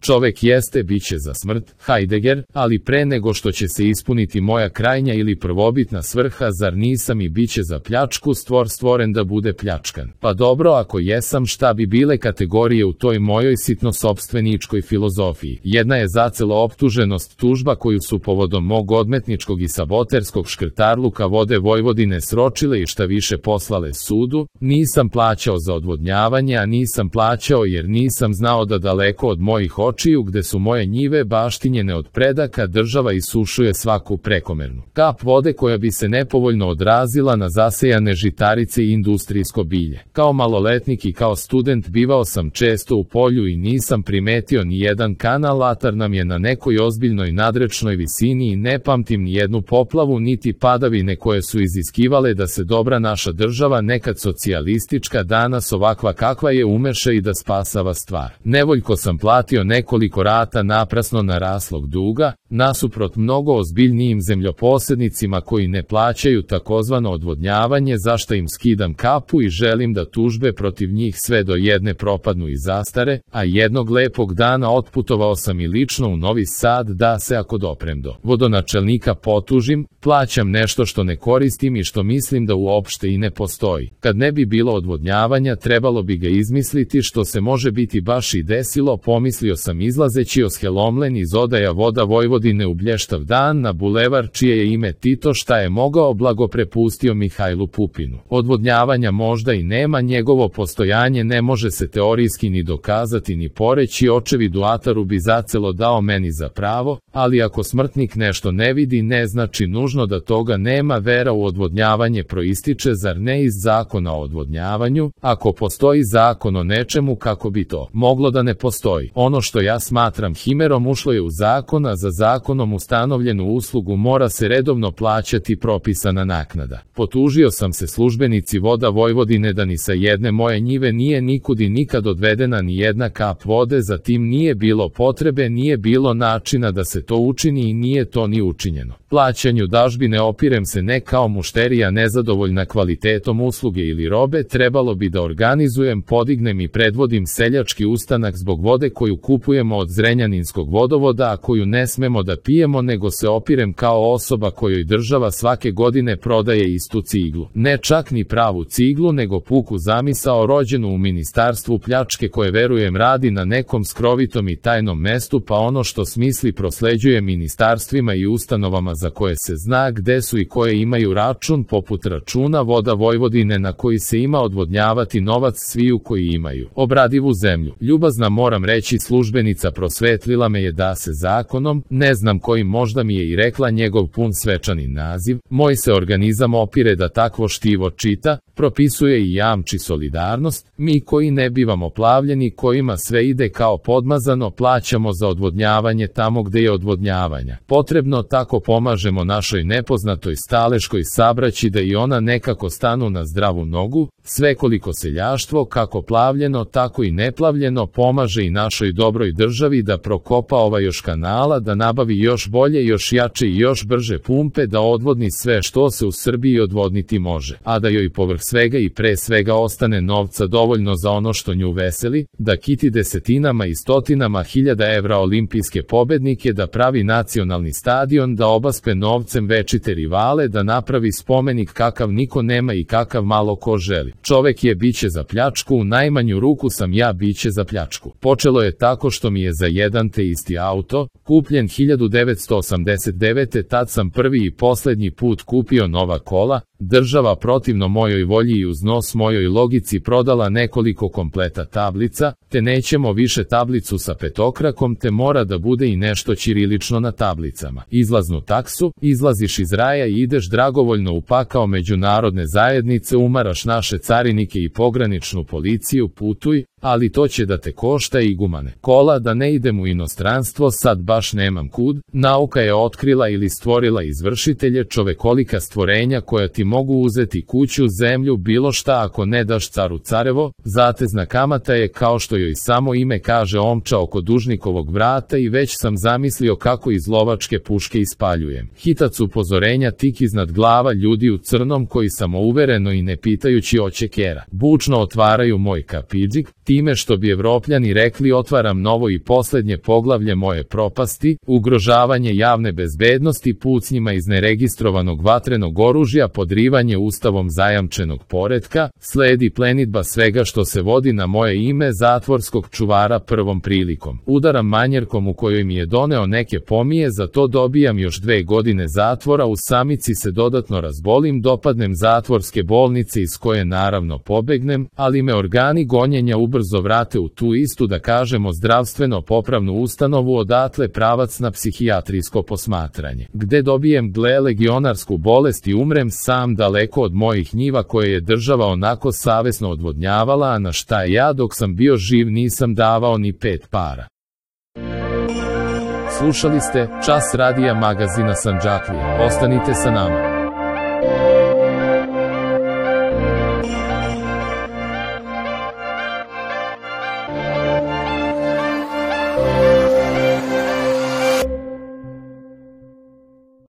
Čovek jeste biće za smrt, Heidegger, ali pre nego što će se ispuniti moja krajnja ili prvobitna svrha, zar nisam i biće za pljačku, stvoren da bude pljačkan? Pa dobro, ako jesam, šta bi bile kategorije u toj mojoj sitno-sopstveničkoj filozofiji? Jedna je zacelo optuženost, tužba koju su povodom mog odmetničkog i saboterskog škrtarluka Vode Vojvodine sročile i šta više poslale sudu. Nisam plaćao za odvodnjavanje, a nisam plaćao jer nisam znao da daleko od mojih očiju, gde su moje njive baštinjene od predaka, država isušuje svaku prekomernu kap vode koja bi se nepovoljno odrazila na zasejane žitarice i industrijsko bilje. Kao maloletnik i kao student bivao sam često u polju i nisam primetio ni jedan kanal, atar nam je na nekoj ozbiljnoj nadrečnoj visini i ne pamtim ni jednu poplavu niti padavine koje su iziskivale da se dobra naša država, nekad socijalistička, danas ovakva kakva je, umeša i da spasava stvar. Nevoljko sam platio nekoliko rata naprasno naraslog duga, nasuprot mnogo ozbiljnijim zemljoposednicima koji ne plaćaju takozvano odvodnjavanje, za šta im skidam kapu i želim da tužbe protiv njih sve do jedne propadnu i zastare, a jednog lepog dana otputovao sam i lično u Novi Sad da se, ako doprem do vodonačelnika, potužim, plaćam nešto što ne koristim i što mislim da uopšte i ne postoji. Kad ne bi bilo odvodnjavanja, trebalo bi ga izmisliti, što se može biti baš i desilo, pomislio sam izlazeći oshelomljen iz odaja Voda Vojvodine u blještav dan na bulevar čije je ime Tito, šta je mogao, blago prepustio Mihajlu Pupinu. Odvodnjavanja možda i nema, njegovo postojanje ne može se teorijski ni dokazati ni poreći, očevidu ataru bi zacelo dao meni za pravo, ali ako smrtnik nešto ne vidi, ne znači nužno da toga nema. Vera u odvodnjavanje proističe, zar ne, iz zakona o odvodnjavanju? Ako postoji zakon o nečemu, kako bi to moglo da ne postoji? Ono što ja smatram himerom ušlo je u zakon, a za zakonom ustanovljenu uslugu mora se redovno plaćati propisana naknada. Potužio sam se službenici Voda Vojvodine da ni sa jedne moje njive nije nikud i nikad odvedena ni jedna kap vode, zatim nije bilo potrebe, nije bilo načina da se to učini i nije to ni učinjeno. Plaćanju dažbine opirem se ne kao mušterija nezadovoljna kvalitetom usluge ili robe, trebalo bi da organizujem, podignem i predvodim seljački ustanak zbog vode koju kupujemo od Zrenjaninskog vodovoda, a koju ne smemo da pijemo, nego se opirem kao osoba kojoj država svake godine prodaje istu ciglu. Ne čak ni pravu ciglu, nego puku zamisao rođenu u ministarstvu pljačke koje, verujem, radi na nekom skrovitom i tajnom mestu, pa ono što smisli prosleđuje ministarstvima i ustanovama za koje se zna gde su i koje imaju račun, poput računa Voda Vojvodine na koji se ima odvodnjavati novac sviju koji imaju obradivu zemlju. Ljubazna, moram reći, službenica prosvetlila me je da se zakonom, ne znam kojim, možda mi je i rekla njegov pun svečani naziv, moj se organizam opire da takvo štivo čita, propisuje i jamči solidarnost. Mi koji ne bivamo plavljeni, kojima sve ide kao podmazano, plaćamo za odvodnjavanje tamo gde je odvodnjavanja potrebno, tako pomažemo našoj nepoznatoj staleškoj sabraći da i ona nekako stanu na zdravu nogu. Svekoliko seljaštvo, kako plavljeno tako i neplavljeno, pomaže i našoj dobroj državi da prokopa još kanala, da nabavi još bolje, još jače i još brže pumpe, da odvodni sve što se u Srbiji odvodniti može, a da joj povrh svega i pre svega ostane novca dovoljno za ono što nju veseli, da kiti desetinama i stotinama hiljada evra olimpijske pobednike, da pravi nacionalni stadion, da obaspe novcem večite rivale, da napravi spomenik kakav niko nema i kakav malo ko želi. Čovek je biće za pljačku, u najmanju ruku sam ja biće za pljačku. Počelo je tako što mi je za jedan te isti auto, kupljen 1989. tad sam prvi i poslednji put kupio nova kola, država protivno mojoj volji i uz nos mojoj logici prodala nekoliko kompleta tablica, te nećemo više tablicu sa petokrakom, te mora da bude i nešto ćirilično na tablicama. Izlaznu taksu, izlaziš iz raja i ideš dragovoljno u pakao međunarodne zajednice, umaraš naše carinike i pograničnu policiju, putuj, ali to će da te košta i gumane kola, da ne idem u inostranstvo, sad baš nemam kud. Nauka je otkrila ili stvorila izvršitelje, čovekolika stvorenja koja ti mogu uzeti kuću, zemlju, bilo šta ako ne daš caru carevo. Zatezna kamata je, kao što joj samo ime kaže, omča oko dužnikovog vrata i već sam zamislio kako iz lovačke puške ispaljujem. Hitac upozorenja tik iznad glava ljudi u crnom koji samouvereno i ne pitajući oće kera bučno otvaraju moj kapidžik. time što bi Evropljani rekli otvaram novo i poslednje poglavlje moje propasti, ugrožavanje javne bezbednosti pucnjima iz neregistrovanog vatrenog oružja, podrivanje ustavom zajamčenog poretka, sledi plenidba svega što se vodi na moje ime zatvorskog čuvara prvom prilikom. Udaram manjerkom u kojoj mi je doneo neke pomije, za to dobijam još 2 godine zatvora, u samici se dodatno razbolim, dopadnem zatvorske bolnice iz koje naravno pobegnem, ali me organi gonjenja ubrzo vrate u tu istu, da kažemo, zdravstveno popravnu ustanovu, odatle pravac na psihijatrijsko posmatranje, gde dobijem legionarsku bolest i umrem sam daleko od mojih njiva koje je država onako savesno odvodnjavala, a na šta ja dok sam bio živ nisam davao ni 5 para. Slušali ste Čas radija magazina Sandžaklija. Ostanite sa nama.